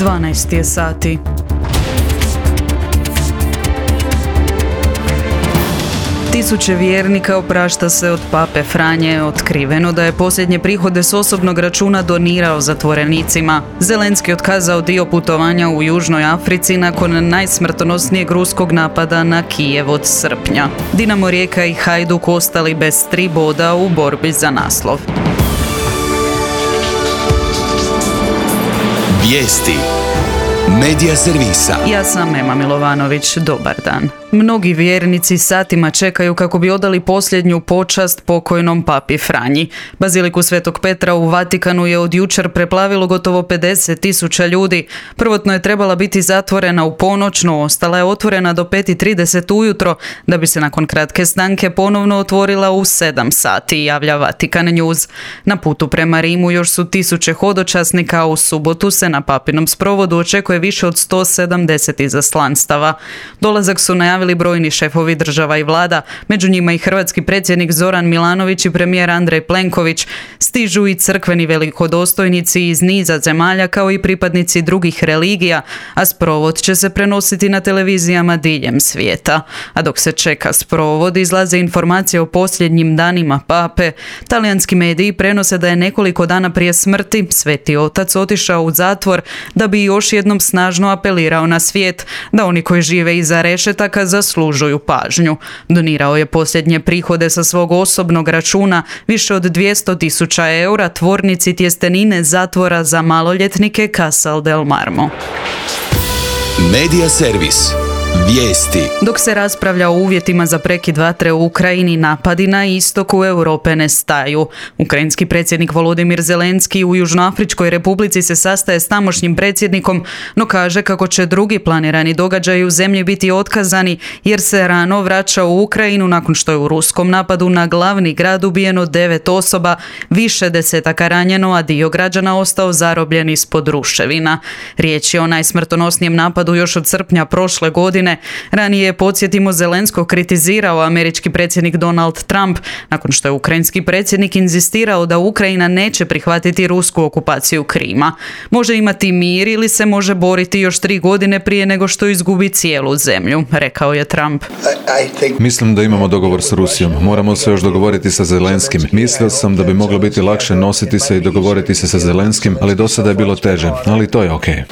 12 je sati. Tisuće vjernika oprašta se od pape Franje, otkriveno da je posljednje prihode s osobnog računa donirao zatvorenicima. Zelenski otkazao dio putovanja u Južnoj Africi nakon najsmrtonosnijeg ruskog napada na Kijev od srpnja. Dinamo Rijeka i Hajduk ostali bez 3 boda u borbi za naslov. Vijesti Medija servisa. Ja sam Ema Milovanović, dobar dan. Mnogi vjernici satima čekaju kako bi odali posljednju počast pokojnom papi Franji. Baziliku Svetog Petra u Vatikanu je od jučer preplavilo gotovo 50.000 ljudi. Prvotno je trebala biti zatvorena u ponoć, no ostala je otvorena do 5:30 ujutro, da bi se nakon kratke stanke ponovno otvorila u 7 sati, javlja Vatikan News. Na putu prema Rimu još su tisuće hodočasnika, a u subotu se na papinom sprovodu očekuje više od 170 izaslanstava. Dolazak su najavili brojni šefovi država i vlada, među njima i hrvatski predsjednik Zoran Milanović i premijer Andrej Plenković. Stižu i crkveni velikodostojnici iz niza zemalja kao i pripadnici drugih religija, a sprovod će se prenositi na televizijama diljem svijeta. A dok se čeka sprovod, izlaze informacije o posljednjim danima pape. Talijanski mediji prenose da je nekoliko dana prije smrti Sveti Otac otišao u zatvor da bi još jednom snažno apelirao na svijet da oni koji žive iza rešetaka zaslužuju pažnju. Donirao je posljednje prihode sa svog osobnog računa, više od 200.000 eura, tvornici tjestenine zatvora za maloljetnike Casal del Marmo. Medija servis. Vijesti. Dok se raspravlja o uvjetima za prekid vatre u Ukrajini, napadi na istoku Europe ne staju. Ukrajinski predsjednik Volodimir Zelenski u Južnoafričkoj Republici se sastaje s tamošnjim predsjednikom, no kaže kako će drugi planirani događaji u zemlji biti otkazani jer se rano vraća u Ukrajinu nakon što je u ruskom napadu na glavni grad ubijeno 9 osoba, više desetaka ranjeno, a dio građana ostao zarobljen ispod ruševina. Riječ je o najsmrtonosnijem napadu još od srpnja prošle godine. Ranije, podsjetimo, Zelenskog kritizirao američki predsjednik Donald Trump nakon što je ukrajinski predsjednik inzistirao da Ukrajina neće prihvatiti rusku okupaciju Krima. Može imati mir ili se može boriti još 3 godine prije nego što izgubi cijelu zemlju, rekao je Trump. Mislim da imamo dogovor s Rusijom. Moramo se još dogovoriti sa Zelenskim. Mislio sam da bi moglo biti lakše nositi se i dogovoriti se sa Zelenskim, ali do sada je bilo teže. Ali to je okej.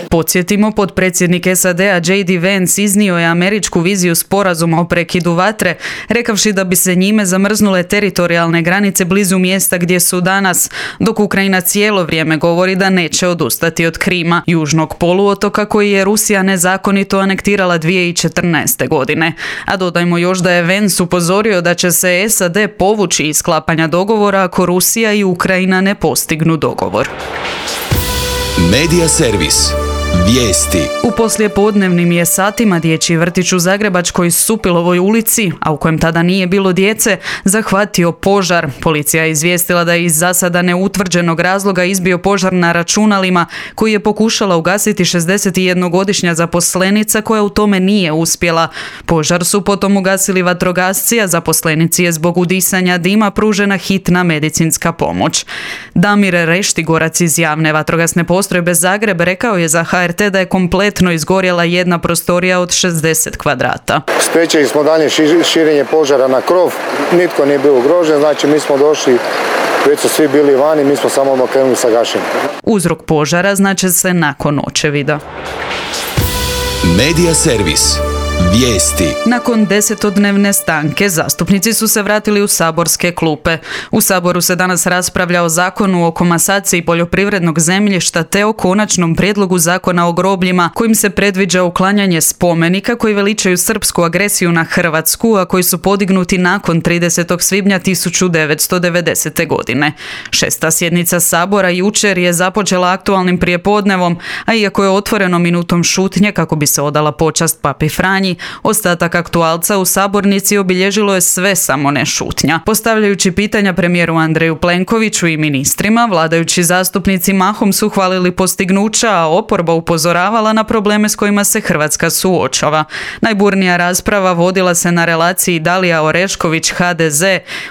Podsjetimo, potpredsjednik SAD-a J.D. Vance iznio je američku viziju sporazuma o prekidu vatre, rekavši da bi se njime zamrznule teritorijalne granice blizu mjesta gdje su danas, dok Ukrajina cijelo vrijeme govori da neće odustati od Krima, južnog poluotoka koji je Rusija nezakonito anektirala 2014. godine. A dodajmo još da je Vance upozorio da će se SAD povući iz sklapanja dogovora ako Rusija i Ukrajina ne postignu dogovor. Medija servis. Vijesti. U poslijepodnevnim je satima dječji vrtić u Zagrebačkoj Supilovoj ulici, a u kojem tada nije bilo djece, zahvatio požar. Policija je izvijestila da je iz zasada neutvrđenog razloga izbio požar na računalima koji je pokušala ugasiti 61-godišnja zaposlenica koja u tome nije uspjela. Požar su potom ugasili vatrogasci, a zaposlenici je zbog udisanja dima pružena hitna medicinska pomoć. Damir Reštigorac iz javne vatrogasne postrojbe Zagreb rekao je za HRT da je kompletno izgorjela jedna prostorija od 60 kvadrata. Spriječili smo dalje širenje požara na krov, nitko nije bio ugrožen, znači mi smo došli, već su svi bili vani, mi smo samo krenuli sa gašenjem. Uzrok požara znaće se nakon očevida. Medija servis. Vijesti. Nakon 10-dnevne stanke zastupnici su se vratili u saborske klupe. U Saboru se danas raspravlja o zakonu o komasaciji poljoprivrednog zemljišta te o konačnom prijedlogu zakona o grobljima kojim se predviđa uklanjanje spomenika koji veličaju srpsku agresiju na Hrvatsku, a koji su podignuti nakon 30. svibnja 1990. godine. 6. sjednica Sabora jučer je započela aktualnim prijepodnevom, a iako je otvoreno minutom šutnje kako bi se odala počast papi Franji, Franji, ostatak aktualca u sabornici obilježilo je sve samo ne šutnja. Postavljajući pitanja premijeru Andreju Plenkoviću i ministrima, vladajući zastupnici mahom su hvalili postignuća, a oporba upozoravala na probleme s kojima se Hrvatska suočava. Najburnija rasprava vodila se na relaciji Dalija Orešković-HDZ.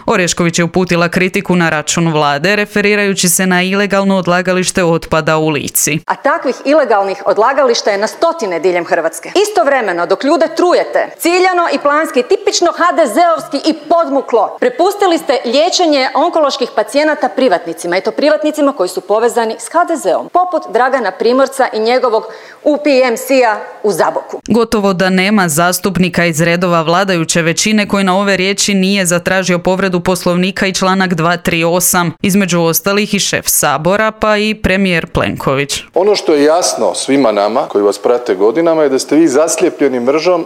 Orešković je uputila kritiku na račun vlade, referirajući se na ilegalno odlagalište otpada u Lici. A takvih ilegalnih odlagališta je na stotine diljem Hrvatske. Istovremeno, dok ljude trujete, ciljano i planski, tipično HDZ-ovski i podmuklo, prepustili ste liječenje onkoloških pacijenata privatnicima, i to privatnicima koji su povezani s HDZ-om, poput Dragana Primorca i njegovog UPMC-a u Zaboku. Gotovo da nema zastupnika iz redova vladajuće većine koji na ove riječi nije zatražio povredu Poslovnika i članak 238, između ostalih i šef Sabora, pa i premijer Plenković. Ono što je jasno svima nama koji vas prate godinama je da ste vi zaslijepljeni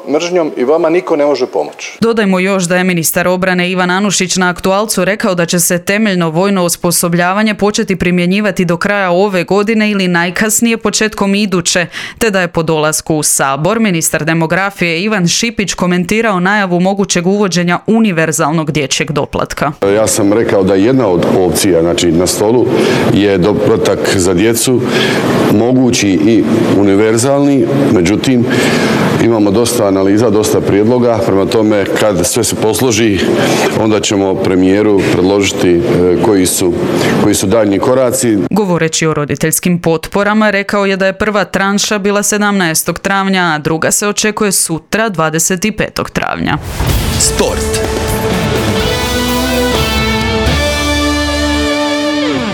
mržnjom i vama niko ne može pomoći. Dodajmo još da je ministar obrane Ivan Anušić na aktualcu rekao da će se temeljno vojno osposobljavanje početi primjenjivati do kraja ove godine ili najkasnije početkom iduće, te da je po dolasku u Sabor ministar demografije Ivan Šipić komentirao najavu mogućeg uvođenja univerzalnog dječjeg doplatka. Ja sam rekao da jedna od opcija, znači na stolu, je doplatak za djecu, mogući i univerzalni, međutim imamo dosta analiza, dosta prijedloga, prema tome kad sve se posloži onda ćemo premijeru predložiti koji su daljnji koraci. Govoreći o roditeljskim potporama, rekao je da je prva tranša bila 17. travnja, a druga se očekuje sutra 25. travnja. Sport.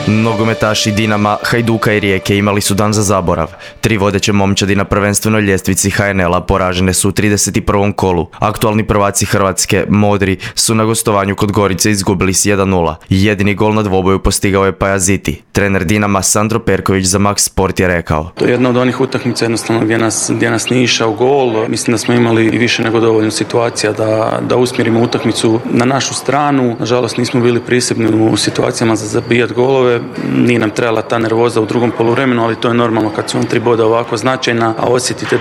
Nogometaši Dinama, Hajduka i Rijeke imali su dan za zaborav. 3 vodeće momčadi na prvenstvenoj ljestvici HNL-a poražene su u 31. kolu. Aktualni prvaci Hrvatske, Modri, su na gostovanju kod Gorice izgubili s 1:0. Jedini gol na dvoboju postigao je Pajaziti. Trener Dinama Sandro Perković za Max Sport je rekao: To je jedna od onih utakmica jednostavno gdje nas nije išao gol. Mislim da smo imali i više nego dovoljno situacija da usmjerimo utakmicu na našu stranu. Nažalost nismo bili prisebni u situacijama za zabijat golove. Nije nam trebala ta nervoza u drugom poluvremenu, ali to je normalno kad su vam 3 boda ovako značajna, a osjetite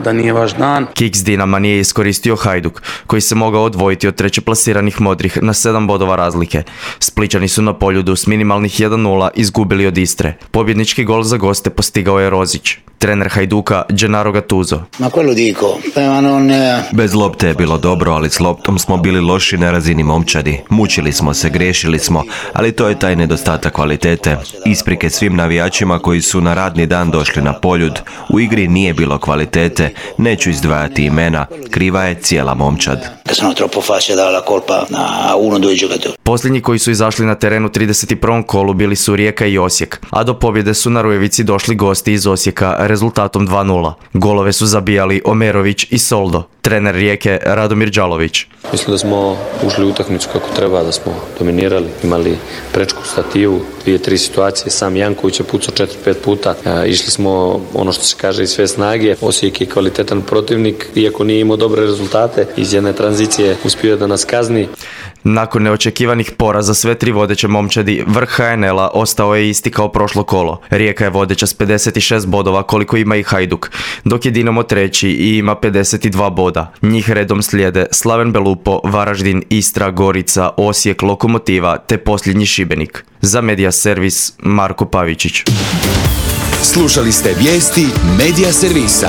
da nije vaš dan. Kiks Dinama nije iskoristio Hajduk, koji se mogao odvojiti od treće plasiranih Modrih na 7 bodova razlike. Splićani su na Poljudu s minimalnih 1:0 izgubili od Istre. Pobjednički gol za goste postigao je Rozić. Trener Hajduka Gennaro Gattuso: Bez lopte je bilo dobro, ali s loptom smo bili loši na razini momčadi. Mučili smo se, grešili smo, ali to je taj nedostatak kvalitete. Isprike svim navijačima koji su na radni dan došli na Poljud. U igri nije bilo kvalitete, neću izdvajati imena, kriva je cijela momčad. Posljednji koji su izašli na terenu 31. kolu bili su Rijeka i Osijek, a do pobjede su na Rujevici došli gosti iz Osijeka rezultatom 2:0. Golove su zabijali Omerović i Soldo. Trener Rijeke Radomir Đalović: Mislim da smo ušli u utakmicu kako treba, da smo dominirali, imali prečku stativu, 2-3 situacije, sam Janković je pucao 4-5 puta, išli smo ono što se kaže iz sve snage. Osijek je kvalitetan protivnik, iako nije imao dobre rezultate, iz jedne tranzicije uspio da nas kazni. Nakon neočekivanih poraza sve 3 vodeće momčadi, vrh HNL-a ostao je isti kao prošlo kolo. Rijeka je vodeća s 56 bodova koliko ima i Hajduk, dok je Dinamo treći i ima 52 boda. Njih redom slijede Slaven Belupo, Varaždin, Istra, Gorica, Osijek, Lokomotiva te posljednji Šibenik. Za Media Servis Marko Pavičić. Slušali ste vijesti Media Servisa.